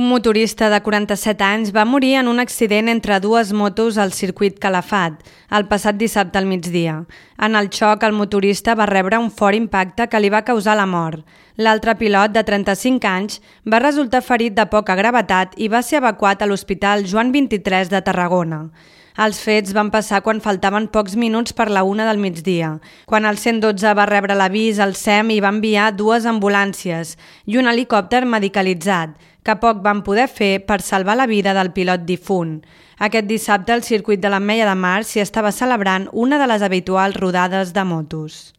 Un motorista de 47 anys va morir en un accident entre dues motos al circuit Calafat, el passat dissabte al migdia. En el xoc, el motorista va rebre un fort impacte que li va causar la mort. L'altre pilot, de 35 anys, va resultar ferit de poca gravetat i va ser evacuat a l'Hospital Joan XXIII de Tarragona. Els fets van passar quan faltaven pocs minuts per la 1 del migdia, quan el 112 va rebre l'avís, el SEM hi va enviar 2 ambulàncies i un helicòpter medicalitzat, que poc van poder fer per salvar la vida del pilot difunt. Aquest dissabte, al circuit de l'Ametlla de Mar s'hi estava celebrant una de les habituals rodades de motos.